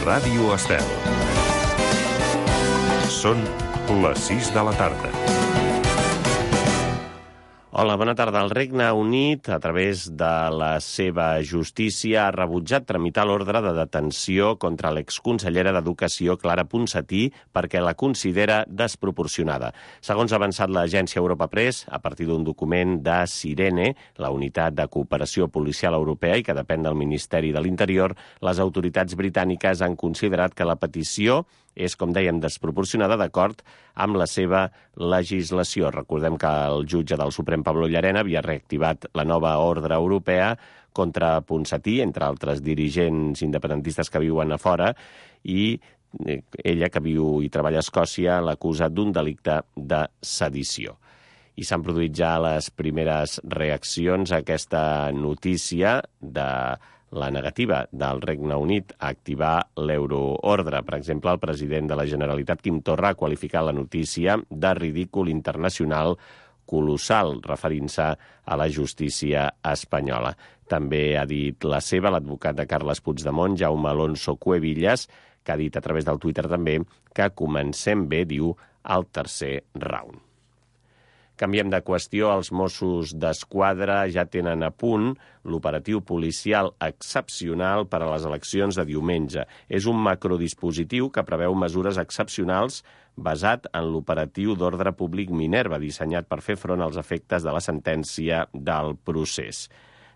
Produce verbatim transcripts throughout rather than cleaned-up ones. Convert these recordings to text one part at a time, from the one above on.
Ràdio Estel. Són les sis de la tarda. Hola, bona tarda. El Regne Unit, a través de la seva justícia, ha rebutjat tramitar l'ordre de detenció contra l'exconsellera d'Educació, Clara Ponsatí, perquè la considera desproporcionada. Segons ha avançat l'agència Europa Press, a partir d'un document de Sirene, la unitat de cooperació policial europea i que depèn del Ministeri de l'Interior, les autoritats britàniques han considerat que la petició és, com dèiem, desproporcionada d'acord amb la seva legislació. Recordem que el jutge del Suprem, Pablo Llarena, havia reactivat la nova ordre europea contra Ponsatí, entre altres dirigents independentistes que viuen a fora, i ella, que viu i treballa a Escòcia, l'acusa d'un delicte de sedició. I s'han produït ja les primeres reaccions a aquesta notícia de la negativa del Regne Unit a activar l'euroordre. Per exemple, el president de la Generalitat, Quim Torra, ha qualificat la notícia de ridícul internacional colossal, referint-se a la justícia espanyola. També ha dit la seva l'advocat de Carles Puigdemont, Jaume Alonso Cuevillas, que ha dit a través del Twitter també que comencem bé, diu, al tercer round. Canviem de qüestió. Els Mossos d'Esquadra ja tenen a punt l'operatiu policial excepcional per a les eleccions de diumenge. És un macrodispositiu que preveu mesures excepcionals basat en l'operatiu d'ordre públic Minerva, dissenyat per fer front als efectes de la sentència del procés.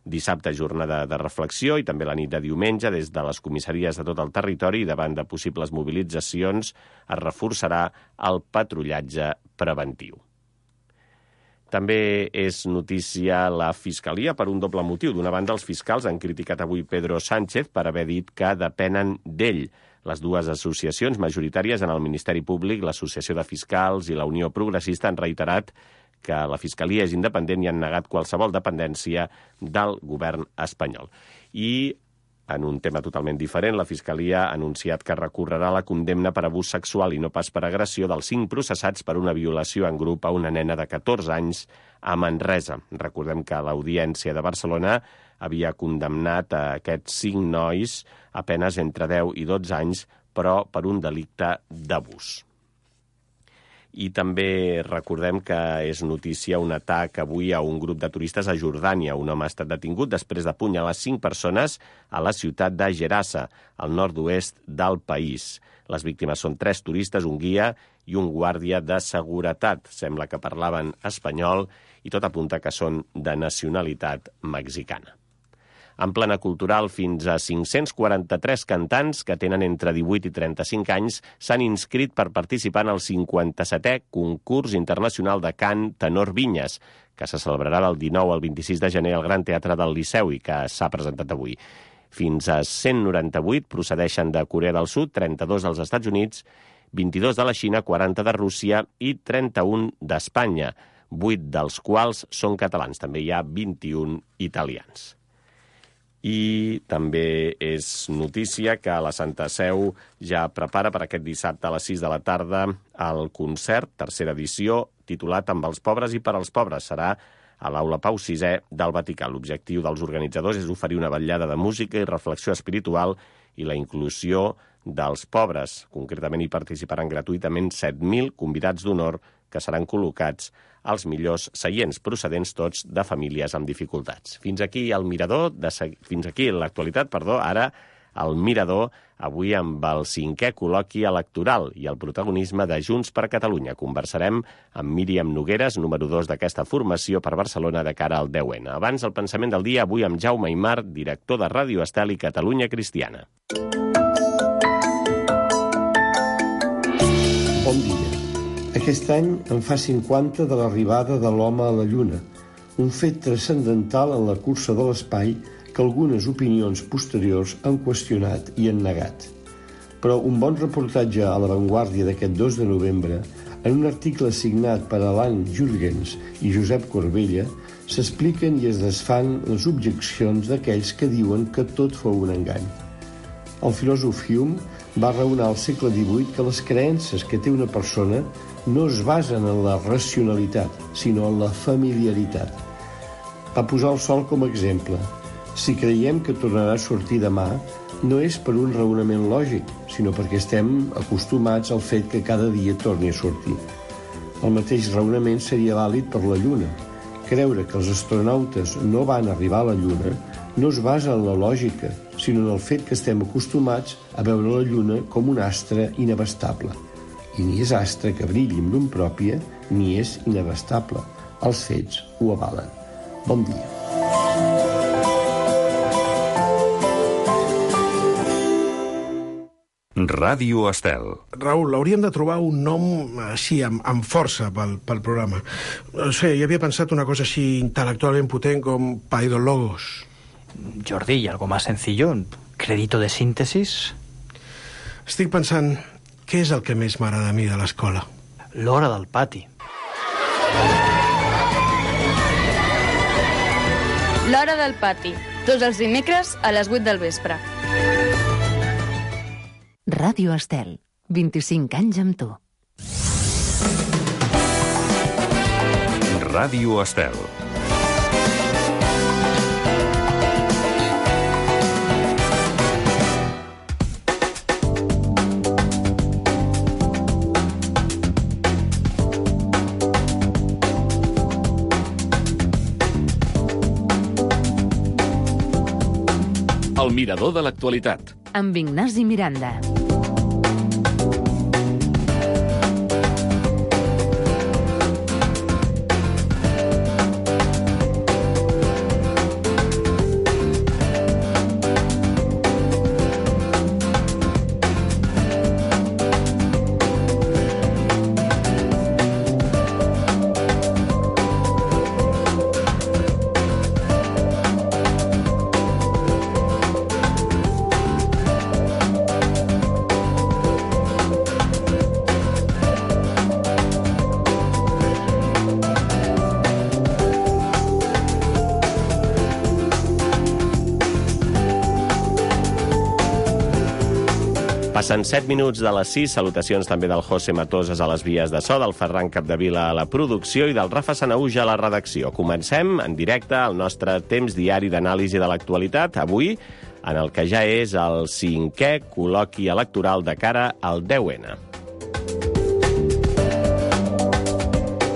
Dissabte, jornada de reflexió, i també la nit de diumenge, des de les comissaries de tot el territori, davant de possibles mobilitzacions, es reforçarà el patrullatge preventiu. També és notícia la Fiscalia per un doble motiu. D'una banda, els fiscals han criticat avui Pedro Sánchez per haver dit que depenen d'ell. Les dues associacions majoritàries en el Ministeri Públic, l'Associació de Fiscals i la Unió Progressista, han reiterat que la Fiscalia és independent i han negat qualsevol dependència del govern espanyol. I en un tema totalment diferent, la Fiscalia ha anunciat que recorrerà la condemna per abús sexual i no pas per agressió dels cinc processats per una violació en grup a una nena de catorze anys a Manresa. Recordem que l'Audiència de Barcelona havia condemnat a aquests cinc nois a penes entre deu i dotze anys, però per un delicte d'abús. I també recordem que és notícia un atac avui a un grup de turistes a Jordània. Un home ha estat detingut després d'apunyalar cinc persones a la ciutat de Gerasa, al nord-oest del país. Les víctimes són tres turistes, un guia i un guàrdia de seguretat. Sembla que parlaven espanyol i tot apunta que són de nacionalitat mexicana. En plana cultural, fins a cinc-cents quaranta-tres cantants que tenen entre divuit i trenta-cinc anys s'han inscrit per participar en el cinquanta-setè concurs internacional de cant Tenor Vinyes, que se celebrarà del dinou al vint-i-sis de gener al Gran Teatre del Liceu i que s'ha presentat avui. Fins a cent noranta-vuit procedeixen de Corea del Sud, trenta-dos dels Estats Units, vint-i-dos de la Xina, quaranta de Rússia i trenta-un d'Espanya, vuit dels quals són catalans. També hi ha vint-i-un italians. I també és notícia que la Santa Seu ja prepara per aquest dissabte a les sis de la tarda el concert, tercera edició, titulat Amb els pobres i per als pobres. Serà a l'Aula Pau sisè del Vaticà. L'objectiu dels organitzadors és oferir una vetllada de música i reflexió espiritual i la inclusió dels pobres. Concretament hi participaran gratuïtament set mil convidats d'honor que seran col·locats als millors seients, procedents tots de famílies amb dificultats. Fins aquí el Mirador, de, fins aquí l'actualitat, perdó, ara el Mirador, avui amb el cinquè col·loqui electoral i el protagonisme de Junts per Catalunya. Conversarem amb Míriam Nogueres, número dos d'aquesta formació per Barcelona de cara al deu ene. Abans, el pensament del dia, avui amb Jaume Aymar, director de Ràdio Estel i Catalunya Cristiana. Bon dia. Aquest any en fa cinquanta de l'arribada de l'home a la Lluna, un fet transcendental en la cursa de l'espai que algunes opinions posteriors han qüestionat i han negat. Però un bon reportatge a La Vanguardia d'aquest dos de novembre, en un article signat per Alan Jürgens i Josep Corbella, s'expliquen i es desfan les objeccions d'aquells que diuen que tot fou un engany. El filòsof Hume va raonar al segle divuit que les creences que té una persona no es basen en la racionalitat, sinó en la familiaritat. Va posar el sol com a exemple. Si creiem que tornarà a sortir demà, no és per un raonament lògic, sinó perquè estem acostumats al fet que cada dia torni a sortir. El mateix raonament seria vàlid per la Lluna. Creure que els astronautes no van arribar a la Lluna no es basa en la lògica, sinó en el fet que estem acostumats a veure la Lluna com un astre inabastable. I ni és astre que brilli amb llum pròpia, ni és inabastable. Els fets ho avalen. Bon dia. Ràdio Estel. Raül, hauríem de trobar un nom així, amb, amb força pel, pel programa. No sé, jo havia pensat una cosa així intel·lectualment potent com Paidologos. Jordi, ¿y algo más sencillo? ¿Crédito de síntesis? Estic pensant, què és el que més m'agrada a mi de l'escola? L'hora del pati. L'hora del pati. Tots els dimecres a les vuit del vespre. Ràdio Estel, vint-i-cinc anys amb tu. Ràdio Estel. El mirador de l'actualitat. Amb Ignasi Miranda. Passen set minuts de les sis, salutacions també del José Matoses a les vies de so, del Ferran Capdevila a la producció i del Rafa Sanauja a la redacció. Comencem en directe el nostre temps diari d'anàlisi de l'actualitat, avui en el que ja és el cinquè col·loqui electoral de cara al deu ene.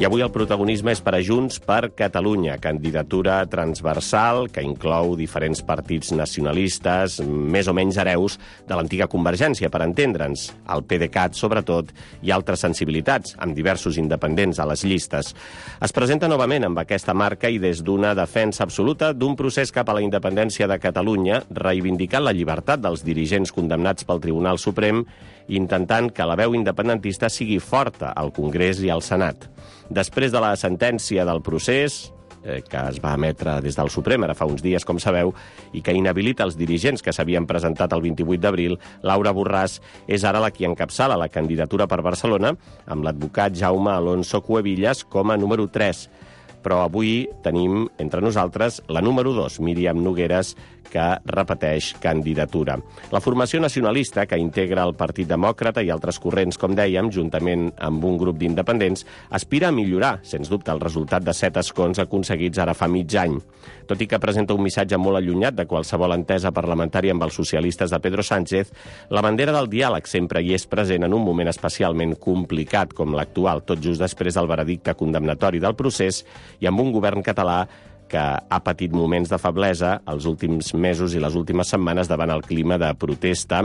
I avui el protagonisme és per a Junts per Catalunya, candidatura transversal que inclou diferents partits nacionalistes, més o menys hereus de l'antiga Convergència, per entendre'ns, el PDeCAT sobretot, i altres sensibilitats, amb diversos independents a les llistes. Es presenta novament amb aquesta marca i des d'una defensa absoluta d'un procés cap a la independència de Catalunya, reivindicant la llibertat dels dirigents condemnats pel Tribunal Suprem i intentant que la veu independentista sigui forta al Congrés i al Senat. Després de la sentència del procés, eh, que es va emetre des del Suprem ara fa uns dies, com sabeu, i que inhabilita els dirigents que s'havien presentat el vint-i-vuit d'abril, Laura Borràs és ara la qui encapçala la candidatura per Barcelona, amb l'advocat Jaume Alonso Cuevillas com a número tres. Però avui tenim entre nosaltres la número dos, Míriam Nogueras, que repeteix candidatura. La formació nacionalista, que integra el Partit Demòcrata i altres corrents, com dèiem, juntament amb un grup d'independents, aspira a millorar, sens dubte, el resultat de set escons aconseguits ara fa mig any. Tot i que presenta un missatge molt allunyat de qualsevol entesa parlamentària amb els socialistes de Pedro Sánchez, la bandera del diàleg sempre hi és present en un moment especialment complicat com l'actual, tot just després del veredicte condemnatori del procés i amb un govern català que ha patit moments de feblesa els últims mesos i les últimes setmanes davant el clima de protesta,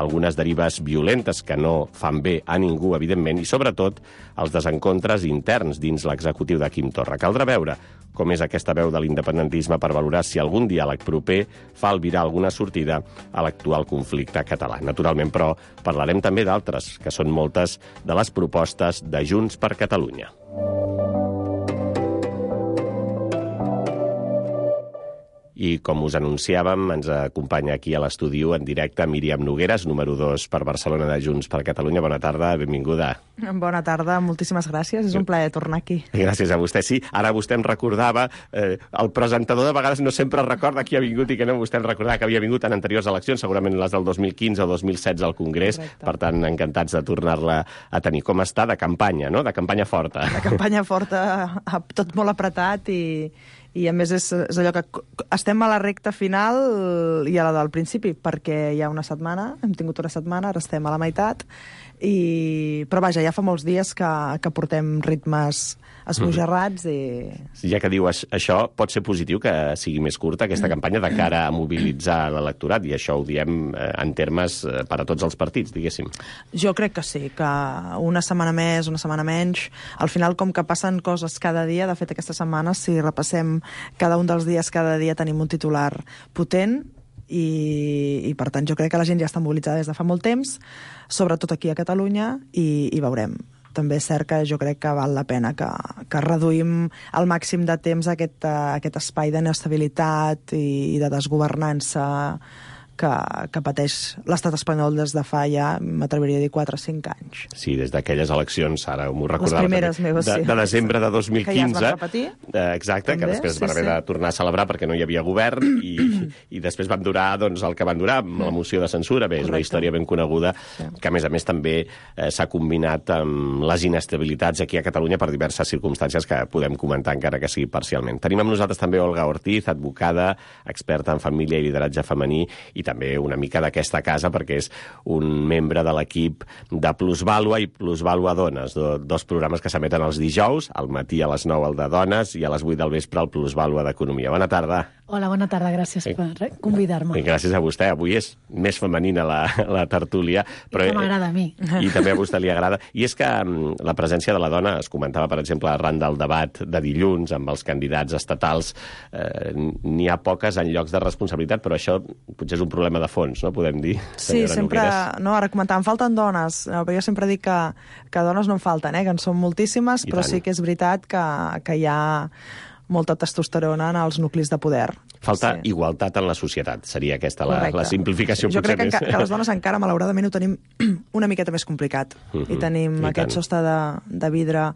algunes derives violentes que no fan bé a ningú, evidentment, i sobretot els desencontres interns dins l'executiu de Quim Torra. Caldrà veure com és aquesta veu de l'independentisme per valorar si algun diàleg proper fa albirar alguna sortida a l'actual conflicte català. Naturalment, però, parlarem també d'altres, que són moltes de les propostes de Junts per Catalunya. I, com us anunciàvem, ens acompanya aquí a l'estudi en directe Míriam Nogueras, número dos per Barcelona de Junts per Catalunya. Bona tarda, benvinguda. Bona tarda, moltíssimes gràcies. És un plaer tornar aquí. Gràcies a vostè. Sí, ara vostè em recordava, eh, el presentador de vegades no sempre recorda qui ha vingut i que no. Vostè em recordava que havia vingut en anteriors eleccions, segurament les del dos mil quinze o dos mil setze al Congrés. Correcte. Per tant, encantats de tornar-la a tenir. Com està? De campanya, no? De campanya forta. De campanya forta, tot molt apretat i... I a més és, és allò que estem a la recta final i a la del principi, perquè hi ha una setmana, hem tingut una setmana, ara estem a la meitat, i... però vaja, ja fa molts dies que, que portem ritmes esbojarrats i... Ja que dius això, pot ser positiu que sigui més curta aquesta campanya de cara a mobilitzar l'electorat, i això ho diem en termes per a tots els partits, diguéssim. Jo crec que sí, que una setmana més, una setmana menys, al final com que passen coses cada dia, de fet aquesta setmana, si repassem cada un dels dies, cada dia tenim un titular potent, i, i per tant jo crec que la gent ja està mobilitzada des de fa molt temps, sobretot aquí a Catalunya, i, i veurem. També és cert que jo crec que val la pena que, que reduïm al màxim de temps aquest, aquest espai d'inestabilitat i, i de desgovernança que, que pateix l'estat espanyol des de fa ja, m'atreviria a dir, quatre o cinc anys. Sí, des d'aquelles eleccions, ara m'ho recordava, les primeres meves, de, sí. de desembre de dos mil quinze. Que ja es van repetir. Eh, exacte, també, que després sí, van haver sí. de tornar a celebrar perquè no hi havia govern, i, i després van durar doncs, el que van durar, amb la moció de censura. Bé, és una història ben coneguda, sí. que a més a més també eh, s'ha combinat amb les inestabilitats aquí a Catalunya per diverses circumstàncies que podem comentar encara que sigui parcialment. Tenim amb nosaltres també Olga Ortiz, advocada, experta en família i lideratge femení, i també una mica d'aquesta casa, perquè és un membre de l'equip de Plusvàlua i Plusvàlua Dones, do, dos programes que s'emeten els dijous, al matí a les nou el de Dones i a les vuit del vespre el Plusvàlua d'Economia. Bona tarda. Hola, bona tarda, gràcies eh, per convidar-me. I gràcies a vostè. Avui és més femenina la, la tertúlia. Però, I que m'agrada a mi. I també a vostè li agrada. I és que um, la presència de la dona, es comentava, per exemple, arran del debat de dilluns amb els candidats estatals, eh, n'hi ha poques en llocs de responsabilitat, però això potser és un problema de fons, no? Podem dir, sí, sempre, Nogueras. No, ara comentàvem, falten dones, no, però jo sempre dic que, que dones no en falten, eh, que en són moltíssimes, I però tant. Sí que és veritat que, que hi ha molta testosterona en els nuclis de poder. Falta sí. igualtat en la societat, seria aquesta la, la simplificació. Jo potser crec que, més. que les dones encara, malauradament, ho tenim una miqueta més complicat. Uh -huh. I tenim I aquest tant. sostre de, de vidre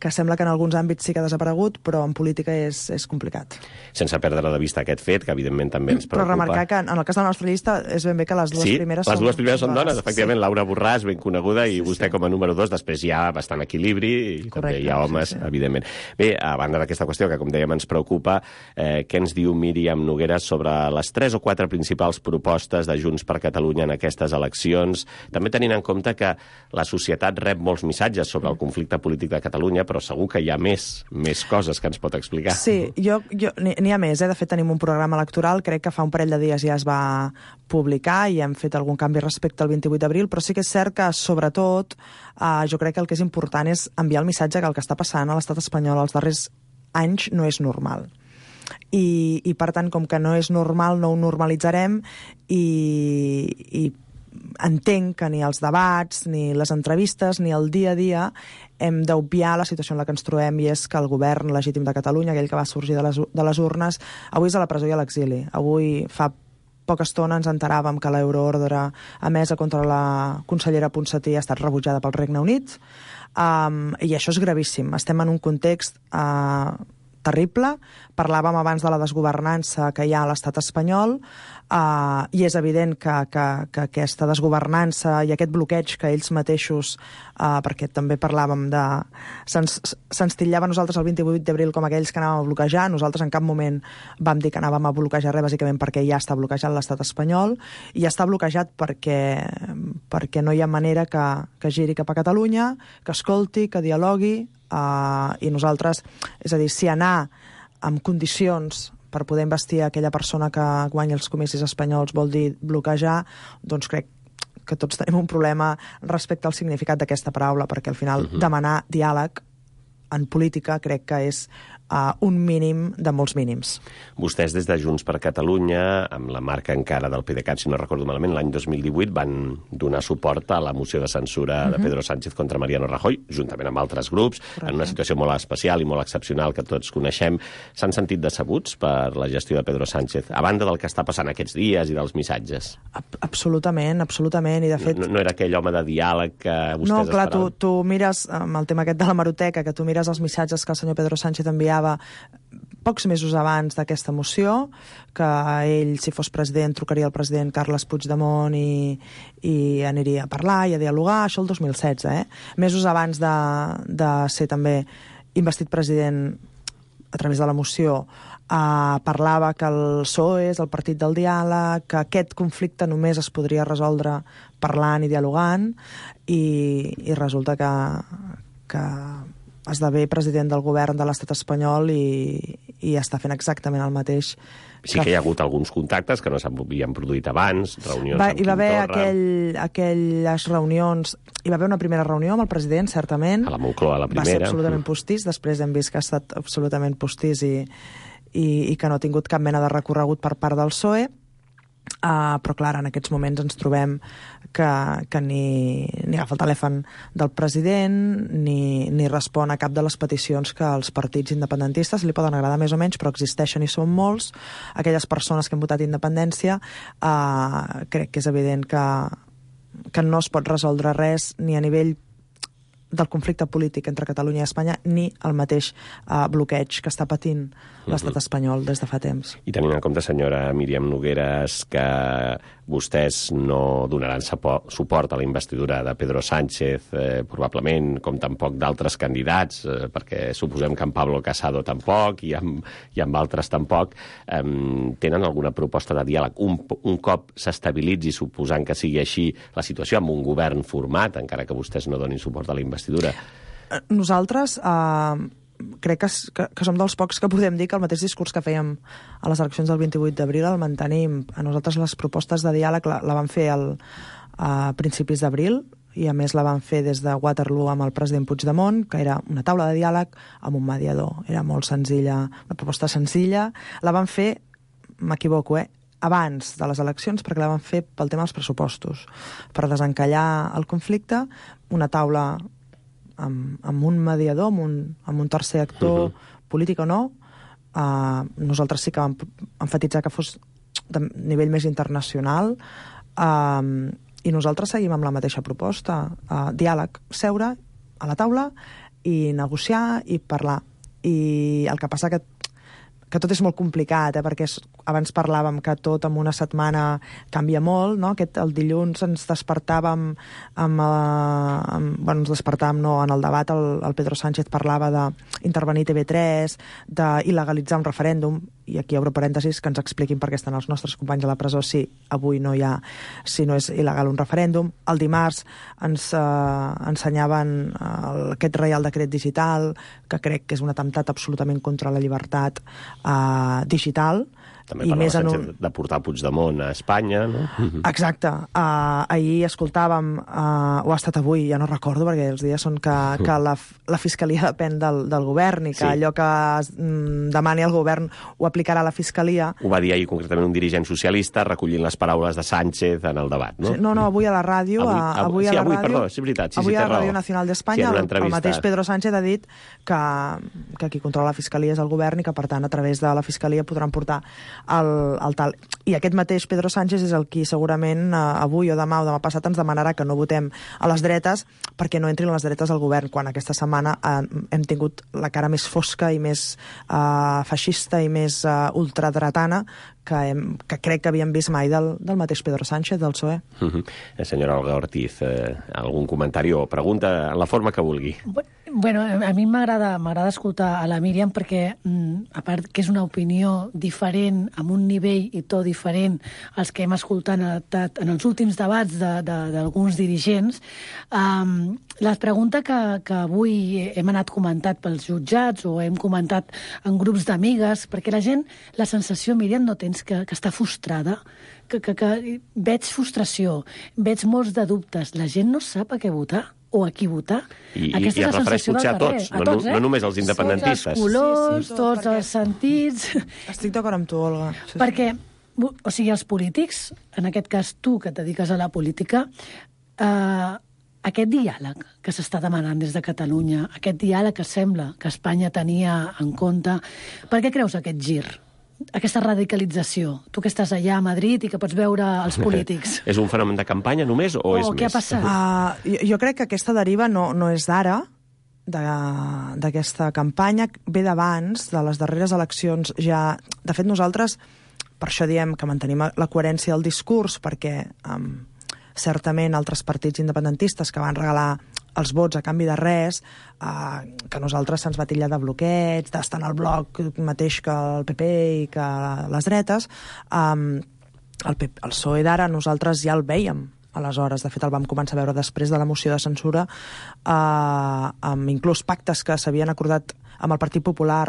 que sembla que en alguns àmbits sí que ha desaparegut, però en política és, és complicat. Sense perdre de vista aquest fet, que evidentment també ens preocupa. Però remarcar que en el cas de la nostra llista és ben bé que les dues sí, primeres les són... dues primeres són dones, efectivament. Sí. Laura Borràs, ben coneguda, i sí, vostè sí. com a número dos. Després hi ha bastant equilibri, i Correcte, també hi ha homes, sí, sí. evidentment. Bé, a banda d'aquesta qüestió, que com dèiem ens preocupa, eh, què ens diu Míriam Nogueras sobre les tres o quatre principals propostes de Junts per Catalunya en aquestes eleccions, també tenint en compte que la societat rep molts missatges sobre el conflicte polític de Catalunya, però segur que hi ha més, més coses que ens pot explicar. Sí, jo, jo n'hi ha més, eh? De fet tenim un programa electoral, crec que fa un parell de dies ja es va publicar i hem fet algun canvi respecte al vint-i-vuit d'abril, però sí que és cert que, sobretot, eh, jo crec que el que és important és enviar el missatge que el que està passant a l'estat espanyol els darrers anys no és normal. I, i per tant, com que no és normal, no ho normalitzarem, i, i entenc que ni els debats, ni les entrevistes, ni el dia a dia hem d'obviar la situació en la que ens trobem, i és que el govern legítim de Catalunya, aquell que va sorgir de les, de les urnes, avui és a la presó i a l'exili. Avui fa poca estona ens enteràvem que l'euroordre emesa contra la consellera Ponsatí ha estat rebutjada pel Regne Unit, um, i això és gravíssim. Estem en un context uh, terrible. Parlàvem abans de la desgovernança que hi ha a l'estat espanyol, Uh, i és evident que, que, que aquesta desgovernança i aquest bloqueig que ells mateixos, uh, perquè també parlàvem de... Se'ns se'ns titllava a nosaltres el vint-i-vuit d'abril com aquells que anàvem a bloquejar. Nosaltres en cap moment vam dir que anàvem a bloquejar res, bàsicament perquè ja està bloquejat l'estat espanyol, i ja està bloquejat perquè, perquè no hi ha manera que, que giri cap a Catalunya, que escolti, que dialogui, uh, i nosaltres, és a dir, si anar amb condicions per poder investir aquella persona que guanya els comicis espanyols vol dir bloquejar, doncs crec que tots tenim un problema respecte al significat d'aquesta paraula, perquè al final uh-huh. demanar diàleg en política crec que és uh, un mínim de molts mínims. Vostès des de Junts per Catalunya, amb la marca encara del PDeCAT, si no recordo malament, l'any dos mil divuit van donar suport a la moció de censura uh-huh. de Pedro Sánchez contra Mariano Rajoy, juntament amb altres grups, Correcte. En una situació molt especial i molt excepcional que tots coneixem. S'han sentit decebuts per la gestió de Pedro Sánchez, a banda del que està passant aquests dies i dels missatges? Absolutament, absolutament, i de fet... No, no era aquell home de diàleg que vostès no, clar, esperaven? tu, tu mires, amb el tema aquest de la Maroteca, que tu mires els missatges que el senyor Pedro Sánchez enviava pocs mesos abans d'aquesta moció, que ell, si fos president, trucaria al president Carles Puigdemont i, i aniria a parlar i a dialogar, això el dos mil setze, eh? Mesos abans de, de ser també investit president a través de la moció, eh, parlava que el P S O E és el partit del diàleg, que aquest conflicte només es podria resoldre parlant i dialogant, i, i resulta que, que esdevé president del govern de l'estat espanyol i, i està fent exactament el mateix. Sí que hi ha hagut alguns contactes que no s'havien produït abans, reunions va, amb Quim Torra. Hi va haver aquell, aquelles reunions... Hi va haver una primera reunió amb el president, certament. A la Moncloa, la primera. Va ser absolutament postís, després hem vist que ha estat absolutament postís i, i, i que no ha tingut cap mena de recorregut per part del P S O E. Uh, però clar, en aquests moments ens trobem que, que ni, ni agafa el telèfon del president ni, ni respon a cap de les peticions que els partits independentistes li poden agradar més o menys, però existeixen i són molts. Aquelles persones que han votat independència, uh, crec que és evident que, que no es pot resoldre res ni a nivell del conflicte polític entre Catalunya i Espanya ni el mateix uh, bloqueig que està patint l'estat espanyol des de fa temps. I tenint en compte, senyora Míriam Nogueras, que vostès no donaran suport a la investidura de Pedro Sánchez, eh, probablement, com tampoc d'altres candidats, eh, perquè suposem que en Pablo Casado tampoc i amb, i amb altres tampoc, eh, tenen alguna proposta de diàleg? Un, un cop s'estabilitzi, suposant que sigui així la situació, amb un govern format, encara que vostès no donin suport a la investidura? Nosaltres... Eh... crec que, que, que som dels pocs que podem dir que el mateix discurs que fèiem a les eleccions del vint-i-vuit d'abril el mantenim. A nosaltres les propostes de diàleg la, la van fer el, a principis d'abril i a més la van fer des de Waterloo amb el president Puigdemont, que era una taula de diàleg amb un mediador. Era molt senzilla, una proposta senzilla. La van fer, m'equivoco, eh? abans de les eleccions, perquè la van fer pel tema dels pressupostos, per desencallar el conflicte, una taula amb, amb un mediador, amb un, amb un tercer actor, uh-huh. polític o no. Uh, nosaltres sí que vam enfatitzar que fos de nivell més internacional, uh, i nosaltres seguim amb la mateixa proposta. Uh, diàleg, seure a la taula i negociar i parlar. I el que passa que que tot és molt complicat, eh? perquè és, abans parlàvem que tot en una setmana canvia molt, no? Aquest, el dilluns ens despertàvem amb, eh, amb, bueno, ens despertàvem no, en el debat, el, el Pedro Sánchez parlava d'intervenir T V tres, d'il·legalitzar un referèndum, i aquí obro parèntesis que ens expliquin per què estan els nostres companys a la presó si avui no hi ha, si no és il·legal un referèndum. El dimarts ens eh, ensenyaven el, aquest Reial Decret Digital, que crec que és un atemptat absolutament contra la llibertat Uh, digital. També parlava Sánchez un... de portar Puigdemont a Espanya, no? Exacte. Uh, ahir escoltàvem, uh, o ha estat avui, ja no recordo, perquè els dies són que, que la, la Fiscalia depèn del, del govern i que sí. allò que es, mm, demani el govern ho aplicarà la Fiscalia. Ho va dir ahir concretament un dirigent socialista recollint les paraules de Sánchez en el debat, no? Sí, no, no, avui a la ràdio... Avui, avui, avui sí, a la avui, ràdio, perdó, sí, veritat. Sí, avui sí, a la Ràdio Nacional d'Espanya sí, el, el mateix Pedro Sánchez ha dit que, que qui controla la Fiscalia és el govern i que, per tant, a través de la Fiscalia podran portar el, el tal. I aquest mateix Pedro Sánchez és el qui segurament eh, avui o demà o demà passat ens demanarà que no votem a les dretes perquè no entrin les dretes al govern, quan aquesta setmana eh, hem tingut la cara més fosca i més eh, feixista i més eh, ultradretana que, hem, que crec que havíem vist mai del, del mateix Pedro Sánchez, del P S O E. Uh-huh. Senyora Olga Ortiz, eh, algun comentari o pregunta en la forma que vulgui. Bueno, a mi m'agrada m'agrada escoltar a la Míriam perquè, mm, a part que és una opinió diferent, amb un nivell i to diferent als que hem escoltat en, en els últims debats d'alguns dirigents, um, la pregunta que, que avui hem anat comentat pels jutjats o hem comentat en grups d'amigues, perquè la gent, la sensació, Míriam, no tens que, que està frustrada, que, que, que veig frustració, veig molts de dubtes, la gent no sap a què votar o a qui votar. I, i es refereix potser a tots, a tots no, eh? no només als independentistes. Tots els colors, sí, sí, tots perquè... els sentits... Estic d'acord amb tu, Olga. Sí, perquè, o sigui, els polítics, en aquest cas tu, que et dediques a la política, eh, aquest diàleg que s'està demanant des de Catalunya, aquest diàleg que sembla que Espanya tenia en compte, per què creus aquest gir? Aquesta radicalització? Tu que estàs allà a Madrid i que pots veure els polítics. És un fenomen de campanya només o, o és més? O què ha passat? Uh, jo, jo crec que aquesta deriva no, no és d'ara, d'aquesta campanya, ve d'abans, de les darreres eleccions. Ja, de fet, nosaltres, per això diem que mantenim la coherència del discurs, perquè um, certament altres partits independentistes que van regalar els vots a canvi de res, eh, que a nosaltres se'ns va titllar de bloqueig, d'estar en el bloc mateix que el P P i que les dretes, eh, el, P P, el P S O E d'ara nosaltres ja el vèiem aleshores. De fet, el vam començar a veure després de la moció de censura, eh, amb inclús pactes que s'havien acordat amb el Partit Popular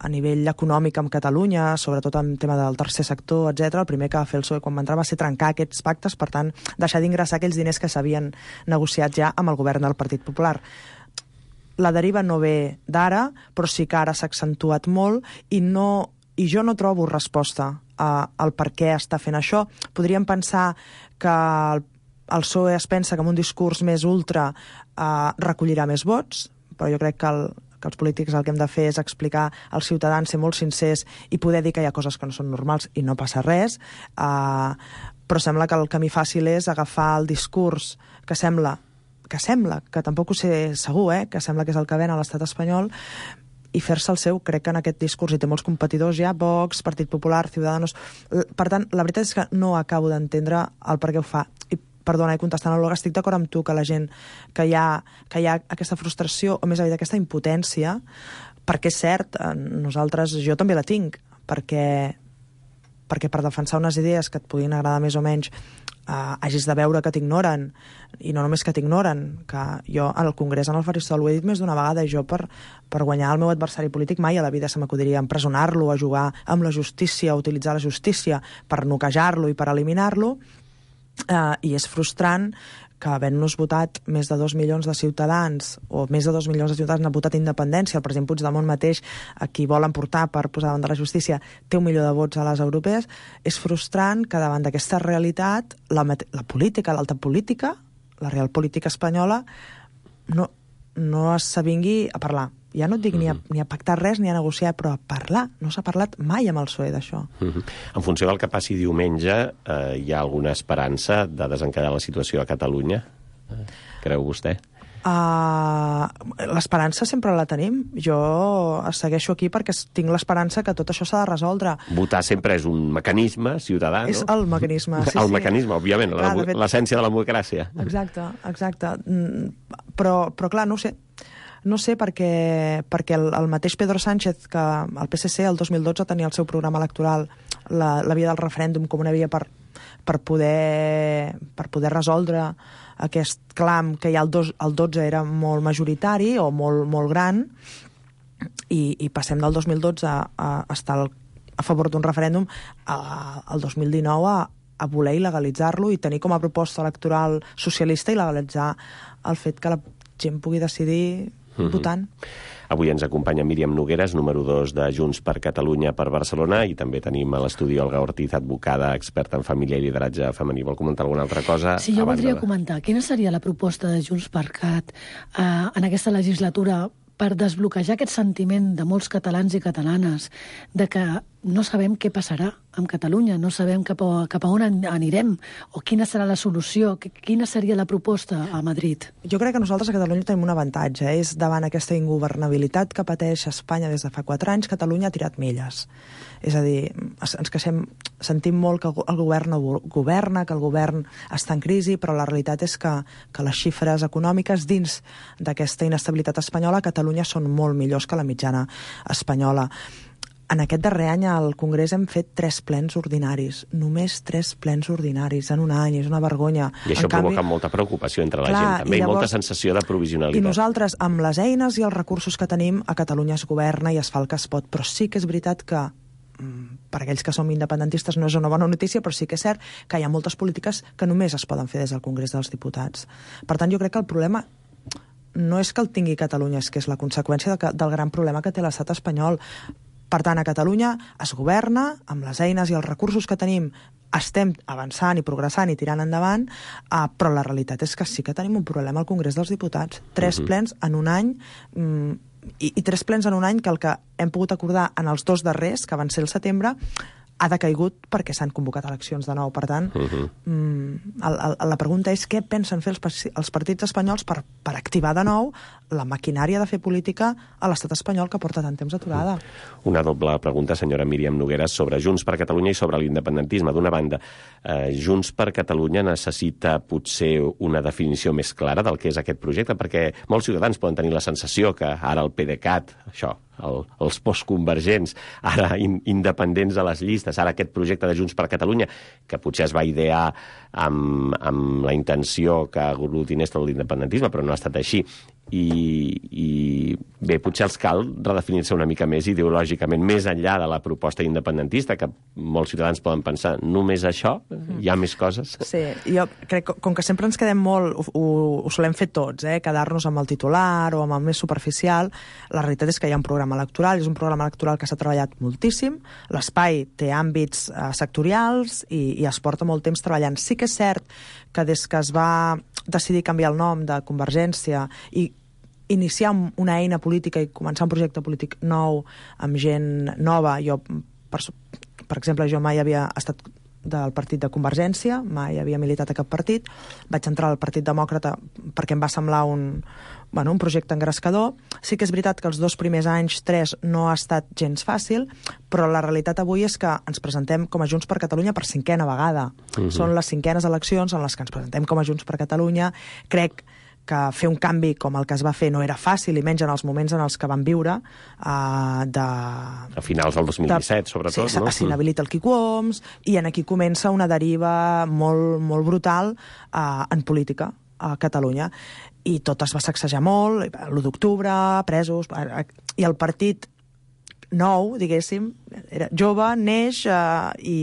a nivell econòmic amb Catalunya, sobretot en tema del tercer sector, etcètera. El primer que va fer el P S O E quan va entrar va ser trencar aquests pactes, per tant, deixar d'ingressar aquells diners que s'havien negociat ja amb el govern del Partit Popular. La deriva no ve d'ara, però sí que ara s'ha accentuat molt i, no, i jo no trobo resposta a, al per què està fent això. Podríem pensar que el, el P S O E es pensa que amb un discurs més ultra eh, recollirà més vots, però jo crec que el que els polítics el que hem de fer és explicar als ciutadans, ser molt sincers i poder dir que hi ha coses que no són normals i no passa res, uh, però sembla que el camí fàcil és agafar el discurs que sembla, que sembla, que tampoc ho sé segur, eh, que sembla que és el que ven a l'estat espanyol, i fer-se el seu. Crec que en aquest discurs hi té molts competidors ja, Vox, Partit Popular, Ciudadanos. Per tant, la veritat és que no acabo d'entendre el per què ho fa. I perdona, i contestant a l'Olga, estic d'acord amb tu que la gent, que hi ha, que hi ha aquesta frustració, o més aviat aquesta impotència, perquè és cert, nosaltres, jo també la tinc, perquè, perquè per defensar unes idees que et puguin agradar més o menys, eh, hagis de veure que t'ignoren, i no només que t'ignoren, que jo al Congrés, en el faristol, ho he dit més d'una vegada, i jo per, per guanyar el meu adversari polític mai a la vida se m'acudiria empresonar-lo, a jugar amb la justícia, a utilitzar la justícia per noquejar-lo i per eliminar-lo. Uh, i és frustrant que havent-nos votat més de dos milions de ciutadans, o més de dos milions de ciutadans han votat independència, el president Puigdemont mateix, a qui volen portar per posar davant de la justícia, té un milió de vots a les europees. És frustrant que davant d'aquesta realitat la, la política, l'alta política, la real política espanyola, no, no s'avingui a parlar. Ja no et dic mm-hmm. ni, a, ni a pactar res ni a negociar, però a parlar. No s'ha parlat mai amb el P S O E d'això. Mm-hmm. En funció del que passi diumenge, eh, hi ha alguna esperança de desencallar la situació a Catalunya? Eh, creu vostè? Uh, l'esperança sempre la tenim. Jo segueixo aquí perquè tinc l'esperança que tot això s'ha de resoldre. Votar sempre és un mecanisme ciutadà, no? És el mecanisme, sí, el sí. mecanisme, òbviament, clar, la, fet... l'essència de la democràcia. Exacte, exacte. Però, però clar, no ho sé. No sé, perquè, perquè el, el mateix Pedro Sánchez, que el P S C el dos mil dotze tenia el seu programa electoral, la, la via del referèndum com una via per, per, poder, per poder resoldre aquest clam que ja el, dos, el dotze era molt majoritari o molt, molt gran, i, i passem del dos mil dotze a, a estar al, a favor d'un referèndum al dos mil dinou a, a voler il·legalitzar-lo i tenir com a proposta electoral socialista il·legalitzar el fet que la gent pugui decidir votant. Mm-hmm. Avui ens acompanya Míriam Nogueras, número dos de Junts per Catalunya per Barcelona, i també tenim a l'estudi Olga Ortiz, advocada, experta en família i lideratge femení. Vol comentar alguna altra cosa? Sí, jo voldria de... comentar. Quina seria la proposta de Junts per Cat eh, en aquesta legislatura per desbloquejar aquest sentiment de molts catalans i catalanes de que no sabem què passarà amb Catalunya, no sabem cap a, cap a on anirem, o quina serà la solució, quina seria la proposta a Madrid? Jo crec que nosaltres a Catalunya tenim un avantatge, és davant aquesta ingovernabilitat que pateix Espanya des de fa quatre anys, Catalunya ha tirat milles. És a dir, ens queixem, sentim molt que el govern no governa, que el govern està en crisi, però la realitat és que, que les xifres econòmiques dins d'aquesta inestabilitat espanyola a Catalunya són molt millors que la mitjana espanyola. En aquest darrer any al Congrés hem fet tres plens ordinaris, només tres plens ordinaris en un any, és una vergonya. I això provoca canvi... molta preocupació entre la clar, gent, també, i, llavors, i molta sensació de provisionalitat. I nosaltres, amb les eines i els recursos que tenim, a Catalunya es governa i es fa el que es pot, però sí que és veritat que per aquells que som independentistes no és una bona notícia, però sí que és cert que hi ha moltes polítiques que només es poden fer des del Congrés dels Diputats. Per tant, jo crec que el problema no és que el tingui Catalunya, és que és la conseqüència de que, del gran problema que té l'estat espanyol. Per tant, a Catalunya es governa, amb les eines i els recursos que tenim, estem avançant i progressant i tirant endavant, uh, però la realitat és que sí que tenim un problema al Congrés dels Diputats. Tres uh-huh. plens en un any, um, i, i tres plens en un any que el que hem pogut acordar en els dos darrers, que van ser el setembre, ha decaigut perquè s'han convocat eleccions de nou. Per tant, uh-huh. mm, el, el, la pregunta és què pensen fer els, els partits espanyols per, per activar de nou la maquinària de fer política a l'estat espanyol que porta tant temps aturada. Una doble pregunta, senyora Míriam Nogueras, sobre Junts per Catalunya i sobre l'independentisme. D'una banda, eh, Junts per Catalunya necessita potser una definició més clara del que és aquest projecte, perquè molts ciutadans poden tenir la sensació que ara el PDeCAT, això, el, els postconvergents, ara in, independents a les llistes, ara aquest projecte de Junts per Catalunya, que potser es va idear amb, amb la intenció que aglutinés tot l'independentisme, però no ha estat així. I, i bé, potser els cal redefinir-se una mica més ideològicament, més enllà de la proposta independentista, que molts ciutadans poden pensar, només això? Hi ha més coses? Sí, jo crec que com que sempre ens quedem molt, ho, ho, ho solem fer tots, eh? quedar-nos amb el titular o amb el més superficial, la realitat és que hi ha un programa electoral, és un programa electoral que s'ha treballat moltíssim, l'espai té àmbits eh, sectorials i, i es porta molt temps treballant. Sí que és cert que des que es va decidir canviar el nom de Convergència i iniciar una eina política i començar un projecte polític nou amb gent nova, jo, per, per exemple, jo mai havia estat del partit de Convergència, mai havia militat a cap partit, vaig entrar al Partit Demòcrata perquè em va semblar un, bueno, un projecte engrescador. Sí que és veritat que els dos primers anys, tres, no ha estat gens fàcil, però la realitat avui és que ens presentem com a Junts per Catalunya per cinquena vegada. Uh-huh. Són les cinquenes eleccions en les que ens presentem com a Junts per Catalunya. Crec que fer un canvi com el que es va fer no era fàcil, i menys en els moments en els que vam viure uh, de... A finals del dos mil disset, de, sobretot, sí, no? S'inhabilita el Quico Homs, i en aquí comença una deriva molt, molt brutal uh, en política a Catalunya. I tot es va sacsejar molt, l'u d'octubre, presos, i el partit nou, diguéssim, era jove, neix eh, i,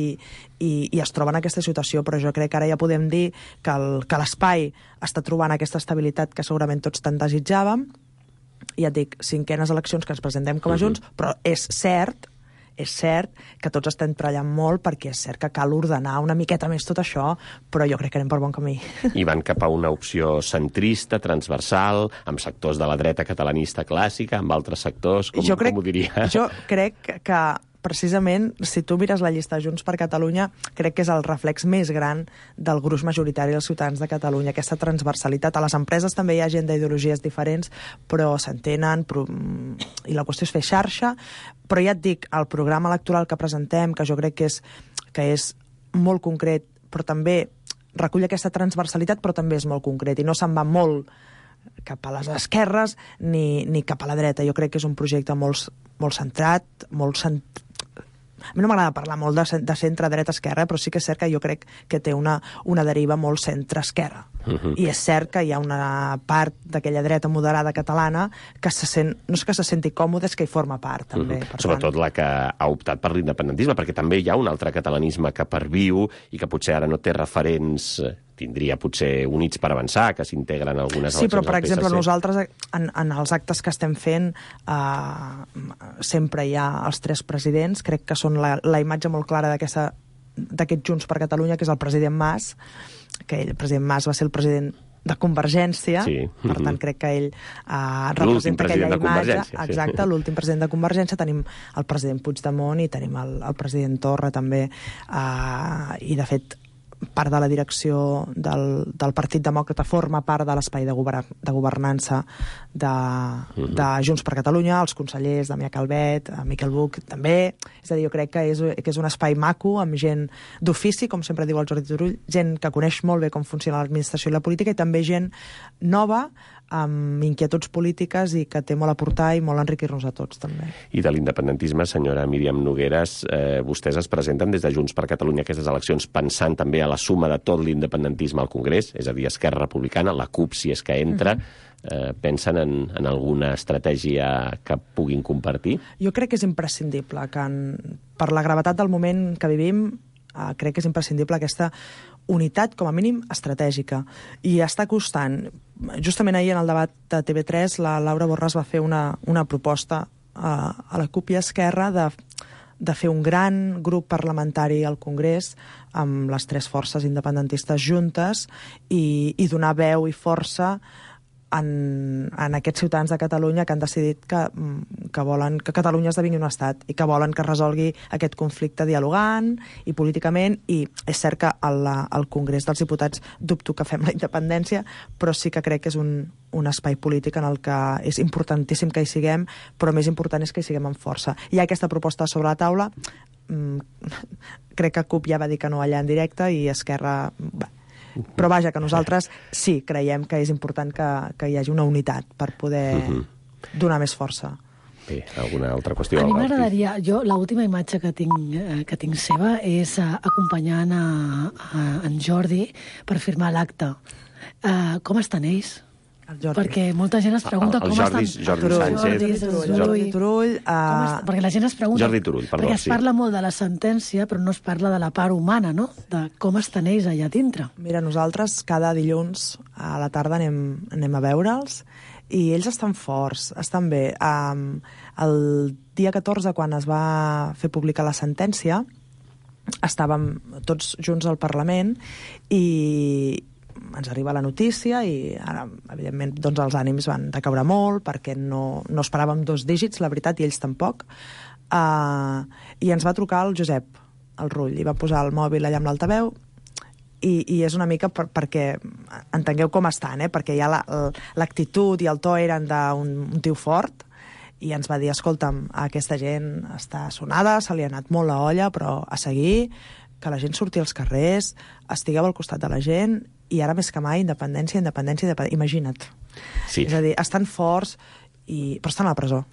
i, i es troba en aquesta situació, però jo crec que ara ja podem dir que el, que l'espai està trobant aquesta estabilitat que segurament tots tant desitjàvem. Ja et dic, cinquenes eleccions que ens presentem com a Junts, uh-huh. però és cert, és cert que tots estem treballant molt perquè és cert que cal ordenar una miqueta més tot això, però jo crec que anem per bon camí. I van cap a una opció centrista, transversal, amb sectors de la dreta catalanista clàssica, amb altres sectors, com, jo crec, com ho diria? Jo crec que precisament, si tu mires la llista de Junts per Catalunya, crec que és el reflex més gran del gruix majoritari dels ciutadans de Catalunya, aquesta transversalitat. A les empreses també hi ha gent d'ideologies diferents, però s'entenen, però... i la qüestió és fer xarxa, però ja et dic, el programa electoral que presentem, que jo crec que és, que és molt concret, però també recull aquesta transversalitat, però també és molt concret, i no se'n va molt cap a les esquerres ni, ni cap a la dreta. Jo crec que és un projecte molt, molt centrat, molt centrat. A mi no m'agrada parlar molt de, de centre dreta-esquerra, però sí que és cert que jo crec que té una, una deriva molt centre-esquerra. Uh-huh. I és cert que hi ha una part d'aquella dreta moderada catalana que se sent, no és que se senti còmode, és que hi forma part, també. Uh-huh. Sobretot tant... la que ha optat per l'independentisme, perquè també hi ha un altre catalanisme que perviu i que potser ara no té referents... tindria potser Units per Avançar, que s'integren algunes eleccions sí, però, per al P S C. exemple, nosaltres, en, en els actes que estem fent, eh, sempre hi ha els tres presidents, crec que són la, la imatge molt clara d'aquesta d'aquest Junts per Catalunya, que és el president Mas, que ell, el president Mas va ser el president de Convergència, sí. per tant crec que ell uh, representa aquella imatge. Exacte, sí. L'últim president de Convergència, tenim el president Puigdemont i tenim el, el president Torra també, uh, i de fet part de la direcció del, del Partit Demòcrata forma part de l'espai de, govern, de governança de, uh-huh. de Junts per Catalunya, els consellers Damià Calvet, Miquel Buch també, és a dir, jo crec que és, que és un espai maco amb gent d'ofici, com sempre diu el Jordi Turull, gent que coneix molt bé com funciona l'administració i la política, i també gent nova amb inquietuds polítiques i que té molt a portar i molt a enriquir-nos a tots, també. I de l'independentisme, senyora Míriam Nogueras, eh, vostès es presenten des de Junts per Catalunya aquestes eleccions pensant també a la suma de tot l'independentisme al Congrés, és a dir, Esquerra Republicana, la CUP, si és que entra, uh-huh. eh, pensen en, en alguna estratègia que puguin compartir? Jo crec que és imprescindible, que en, per la gravetat del moment que vivim, eh, crec que és imprescindible aquesta unitat, com a mínim, estratègica. I està costant. Justament ahir, en el debat de T V tres, la Laura Borràs va fer una, una proposta a, a la CUP i a Esquerra de, de fer un gran grup parlamentari al Congrés amb les tres forces independentistes juntes i, i donar veu i força en, en aquests ciutadans de Catalunya que han decidit que, que volen que Catalunya esdevingui un estat i que volen que resolgui aquest conflicte dialogant i políticament, i és cert que al, al Congrés dels Diputats dubto que fem la independència, però sí que crec que és un, un espai polític en el que és importantíssim que hi siguem, però més important és que hi siguem amb força. Hi ha aquesta proposta sobre la taula, crec que CUP ja va dir que no allà en directe i Esquerra... Bé, però vaja, que nosaltres sí creiem que és important que, que hi hagi una unitat per poder uh-huh. donar més força. Bé, alguna altra qüestió? A mi m'agradaria, jo l'última imatge que tinc, eh, que tinc seva és uh, acompanyant a, a en Jordi per firmar l'acte. Uh, com estan ells? Perquè molta gent es pregunta el, el com Jordi, estan... Jordi Sánchez. Jordi Turull. Jordi Turull uh... Perquè la gent es pregunta... Jordi Turull, perdó, perquè es sí. parla molt de la sentència, però no es parla de la part humana, no? De com estan ells allà dintre. Mira, nosaltres cada dilluns a la tarda anem, anem a veure'ls i ells estan forts, estan bé. Um, el dia catorze, quan es va fer pública la sentència, estàvem tots junts al Parlament i ens arriba la notícia i ara, evidentment, doncs els ànims van decaure molt perquè no, no esperàvem dos dígits, la veritat, i ells tampoc. Uh, I ens va trucar el Josep, el Rull, i va posar el mòbil allà amb l'altaveu i, i és una mica per, perquè entengueu com estan, eh? Perquè ja l'actitud i el to eren d'un un tio fort i ens va dir, escolta'm, aquesta gent està sonada, se li ha anat molt la olla, però a seguir, que la gent surti als carrers, estigueu al costat de la gent i ara més que mai, independència, independència, independència. Imagina't. Sí. És a dir, estan forts, i... però estan a la presó.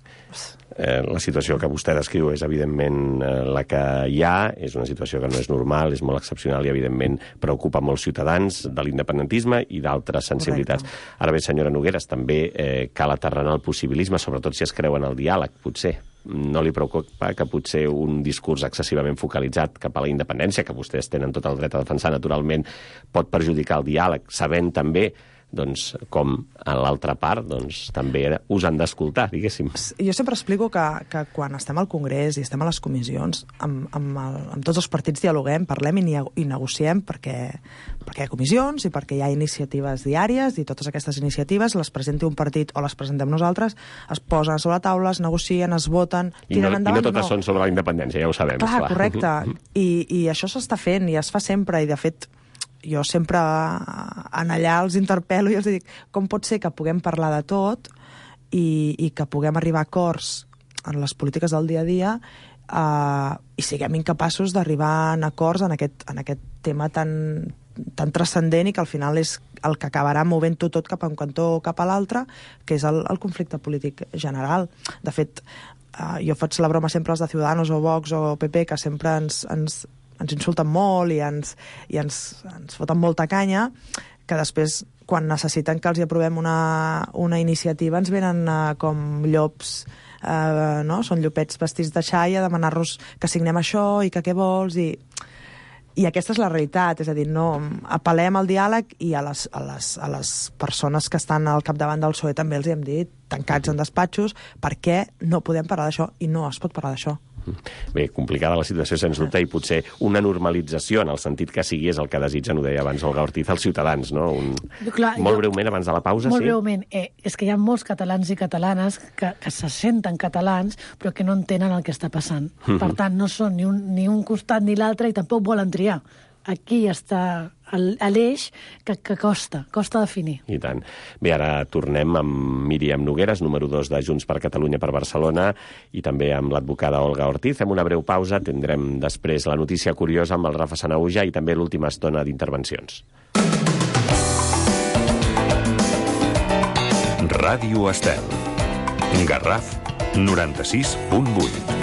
Eh, la situació que vostè descriu és, evidentment, eh, la que hi ha, és una situació que no és normal, és molt excepcional i, evidentment, preocupa molts ciutadans de l'independentisme i d'altres sensibilitats. Correcte. Ara bé, senyora Nogueras, també eh, cal aterrar el possibilisme, sobretot si es creu en el diàleg, potser. No li preocupa que potser un discurs excessivament focalitzat cap a la independència, que vostès tenen tot el dret a defensar, naturalment, pot perjudicar el diàleg, sabent també doncs, com a l'altra part doncs, també us han d'escoltar, diguéssim. Jo sempre explico que, que quan estem al Congrés i estem a les comissions, amb, amb, el, amb tots els partits dialoguem, parlem i, i negociem perquè, perquè hi ha comissions i perquè hi ha iniciatives diàries i totes aquestes iniciatives les presenti un partit o les presentem nosaltres, es posen sobre la taula, es negocien, es voten, I no, tiren endavant. I no totes no. són sobre la independència, ja ho sabem. Clar, esclar. correcte. I, I això s'està fent i es fa sempre i, de fet, jo sempre en allà els interpel·lo i els dic com pot ser que puguem parlar de tot i, i que puguem arribar a acords en les polítiques del dia a dia uh, i siguem incapaços d'arribar a acords en aquest, en aquest tema tan, tan transcendent i que al final és el que acabarà movent-ho tot cap a un cantó o cap a l'altre, que és el, el conflicte polític general. De fet, uh, jo faig la broma sempre als de Ciudadanos o Vox o P P, que sempre ens... ens ens insulten molt i ens, i ens, ens foten molta canya, que després, quan necessiten que els hi aprovem una, una iniciativa, ens venen uh, com llops, uh, no? Són llopets vestits de xai a demanar-nos que signem això i que què vols, i, i aquesta és la realitat, és a dir, no, apel·lem al diàleg i a les, a, les, a les persones que estan al capdavant del P S O E també els hi hem dit, tancats en despatxos, per què no podem parlar d'això? I no es pot parlar d'això. Bé, complicada la situació, sens dubte, i potser una normalització, en el sentit que sigui, és el que desitgen, ho deia abans Olga Ortiz, els ciutadans, no? Un... Clar, molt jo... breument, abans de la pausa, molt sí? Molt breument. Eh, és que hi ha molts catalans i catalanes que, que se senten catalans, però que no entenen el que està passant. Mm-hmm. Per tant, no són ni un, ni un costat ni l'altre i tampoc volen triar. Aquí està l'eix que, que costa, costa definir. I tant. Bé, ara tornem amb Míriam Nogueras, número dos de Junts per Catalunya per Barcelona, i també amb l'advocada Olga Ortiz. Fem una breu pausa, tindrem després la notícia curiosa amb el Rafa Sanahuja i també l'última estona d'intervencions. Ràdio Estel. Garraf noranta-sis punt vuit.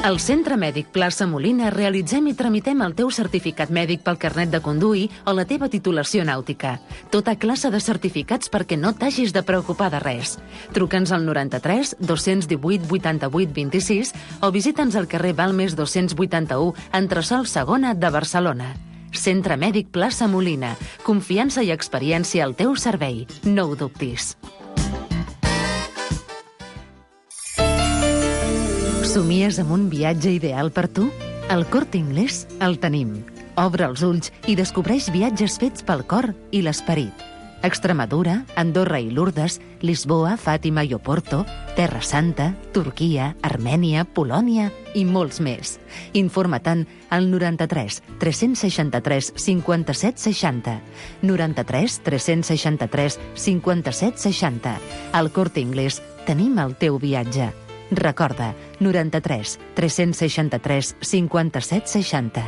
Al Centre Mèdic Plaça Molina realitzem i tramitem el teu certificat mèdic pel carnet de conduir o la teva titulació nàutica. Tota classe de certificats perquè no t'hagis de preocupar de res. Truca'ns al noranta-tres dos-cents divuit vuitanta-vuit vint-i-sis o visita'ns al carrer Balmes dos-cents vuitanta-u, entresòl segona de Barcelona. Centre Mèdic Plaça Molina. Confiança i experiència al teu servei. No ho dubtis. Somies amb un viatge ideal per tu? Al Corte Inglés el tenim. Obre els ulls i descobreix viatges fets pel cor i l'esperit. Extremadura, Andorra i Lourdes, Lisboa, Fàtima i Oporto, Terra Santa, Turquia, Armènia, Polònia i molts més. Informa-te'n al noranta-tres tres-cents seixanta-tres cinquanta-set seixanta. noranta-tres tres-cents seixanta-tres cinquanta-set seixanta. Al Corte Inglés tenim el teu viatge. Recorda, noranta-tres tres-cents seixanta-tres cinquanta-set seixanta.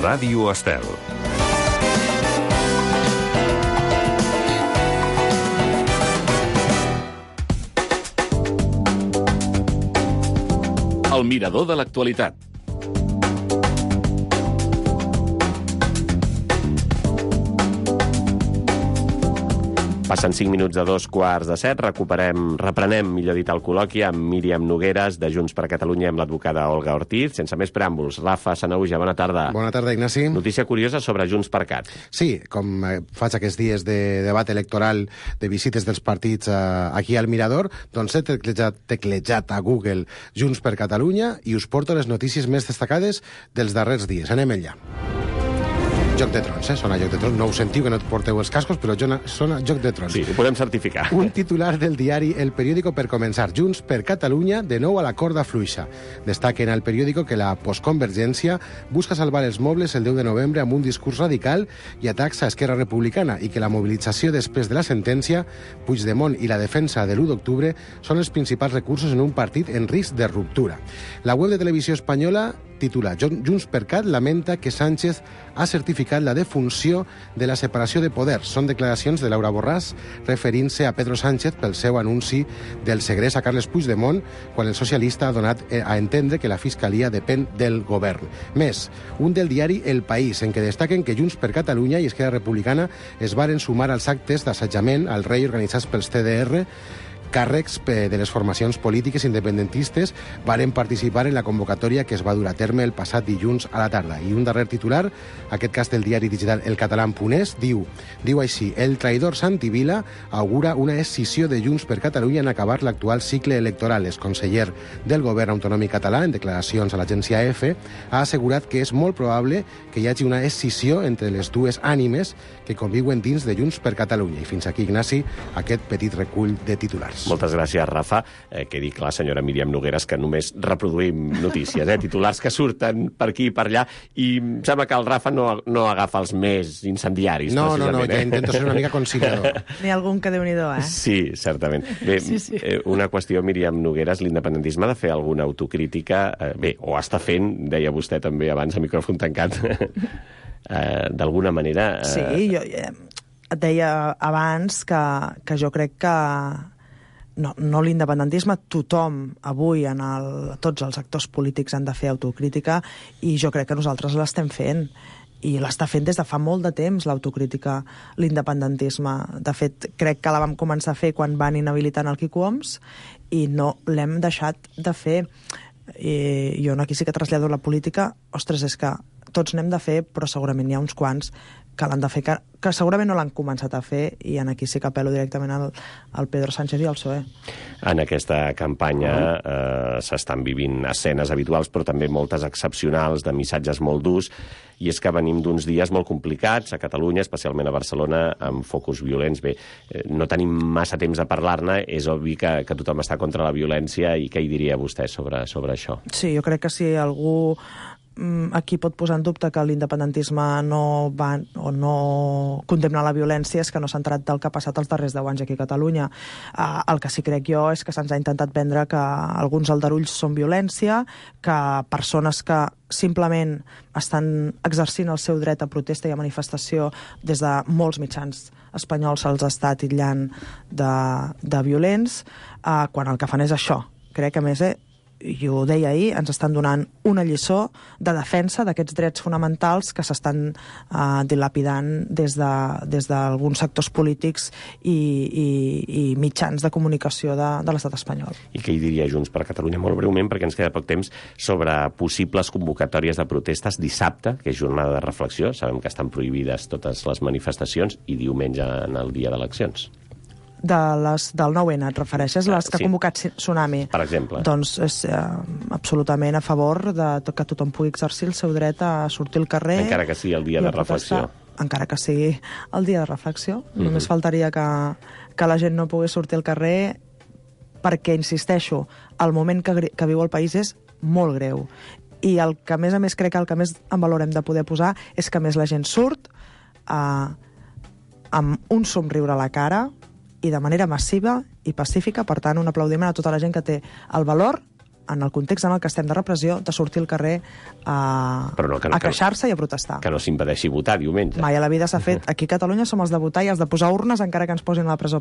Ràdio Estel. El mirador de l'actualitat. Passen cinc minuts de dos quarts de set. Recuperem, reprenem, millor dit, el col·loqui amb Míriam Nogueres, de Junts per Catalunya, amb l'advocada Olga Ortiz. Sense més preàmbuls, Rafa Sanahuja, bona tarda. Bona tarda, Ignasi. Notícia curiosa sobre Junts per Cat. Sí, com faig aquests dies de debat electoral, de visites dels partits eh, aquí al Mirador, doncs he teclejat, teclejat a Google Junts per Catalunya i us porto les notícies més destacades dels darrers dies. Anem allà. Joc de Trons, eh? Sona Joc de Trons. No us sentiu, que no et porteu els cascos, però sona Joc de Trons. Sí, ho podem certificar. Un titular del diari El Periódico per començar. Junts per Catalunya, de nou a la corda fluixa. Destaquen al periòdico que la postconvergència busca salvar els mobles el deu de novembre amb un discurs radical i atacs a Esquerra Republicana i que la mobilització després de la sentència, Puigdemont i la defensa de l'u d'octubre són els principals recursos en un partit en risc de ruptura. La web de Televisió Espanyola titula Junts per Cat lamenta que Sánchez ha certificat la defunció de la separació de poders. Són declaracions de Laura Borràs referint-se a Pedro Sánchez pel seu anunci del segrest a Carles Puigdemont quan el socialista ha donat a entendre que la Fiscalia depèn del govern. Més, un del diari El País, en què destaquen que Junts per Catalunya i Esquerra Republicana es varen sumar als actes d'assetjament al rei organitzats pels C D R. Càrrecs de les formacions polítiques independentistes varen participar en la convocatòria que es va dur a terme el passat dilluns a la tarda. I un darrer titular, aquest cas del diari digital El Català Punès, diu, diu així, el traïdor Santi Vila augura una escissió de Junts per Catalunya en acabar l'actual cicle electoral. El conseller del govern autonòmic català, en declaracions a l'agència A F, ha assegurat que és molt probable que hi hagi una escissió entre les dues ànimes que conviuen dins de Junts per Catalunya. I fins aquí, Ignasi, aquest petit recull de titulars. Moltes gràcies, Rafa. Eh, quedi clar, senyora Míriam Nogueres, que només reproduïm notícies, eh? Titulars que surten per aquí i per allà, i em sembla que el Rafa no, no agafa els més incendiaris. No, no, no, eh? ja intento ser una mica conciliador. N'hi ha algun que déu-n'hi-do, eh? Sí, certament. Bé, sí, sí. Eh, una qüestió, Míriam Nogueres, l'independentisme ha de fer alguna autocrítica, eh, bé, o està fent, deia vostè també abans, a micròfon tancat, eh, d'alguna manera... Eh... Sí, jo eh, et deia abans que, que jo crec que no, no l'independentisme, tothom avui, en el, tots els actors polítics han de fer autocrítica, i jo crec que nosaltres l'estem fent, i l'està fent des de fa molt de temps, l'autocrítica, l'independentisme. De fet, crec que la vam començar a fer quan van inhabilitar el Quico Homs, i no l'hem deixat de fer. I jo aquí sí que trasllado la política, ostres, és que tots n'hem de fer, però segurament hi ha uns quants que l'han de fer, que, que segurament no l'han començat a fer, i en aquí sí que apel·lo directament al, al Pedro Sánchez i al P S O E. En aquesta campanya eh, s'estan vivint escenes habituals, però també moltes excepcionals, de missatges molt durs, i és que venim d'uns dies molt complicats a Catalunya, especialment a Barcelona, amb focus violents. Bé, eh, no tenim massa temps a parlar-ne, és obvi que, que tothom està contra la violència, i què hi diria vostè sobre, sobre això? Sí, jo crec que si algú aquí pot posar en dubte que l'independentisme no va o no condemna la violència, és que no s'ha entrat del que ha passat els darrers deu anys aquí a Catalunya. Uh, el que sí crec jo és que se'ns ha intentat vendre que alguns aldarulls són violència, que persones que simplement estan exercint el seu dret a protesta i a manifestació des de molts mitjans espanyols se'ls està titllant de, de violents, uh, quan el que fan és això. Crec que, a més, eh, i ho deia ahir, ens estan donant una lliçó de defensa d'aquests drets fonamentals que s'estan uh, dilapidant des de, des d'alguns sectors polítics i, i, i mitjans de comunicació de, de l'estat espanyol. I què hi diria Junts per Catalunya, molt breument, perquè ens queda poc temps, sobre possibles convocatòries de protestes dissabte, que és jornada de reflexió, sabem que estan prohibides totes les manifestacions, i diumenge en el dia d'eleccions? De les, del nou ene, et refereixes? Les que sí. ha convocat Tsunami? Per exemple. Doncs és eh, absolutament a favor de que tothom pugui exercir el seu dret a sortir al carrer. Encara que sigui el dia de reflexió. Encara que sigui el dia de reflexió. Mm-hmm. Només faltaria que, que la gent no pogués sortir al carrer perquè, insisteixo, el moment que, que viu el país és molt greu. I el que, a més a més, crec que el que més en valor hem de poder posar és que més la gent surt eh, amb un somriure a la cara i de manera massiva i pacífica. Per tant, un aplaudiment a tota la gent que té el valor, en el context en el que estem de repressió, de sortir al carrer a, no, que no, a queixar-se i a protestar. Que no s'impedeixi votar diumenge. Mai a la vida s'ha fet. Aquí a Catalunya som els de votar i els de posar urnes encara que ens posin a la presó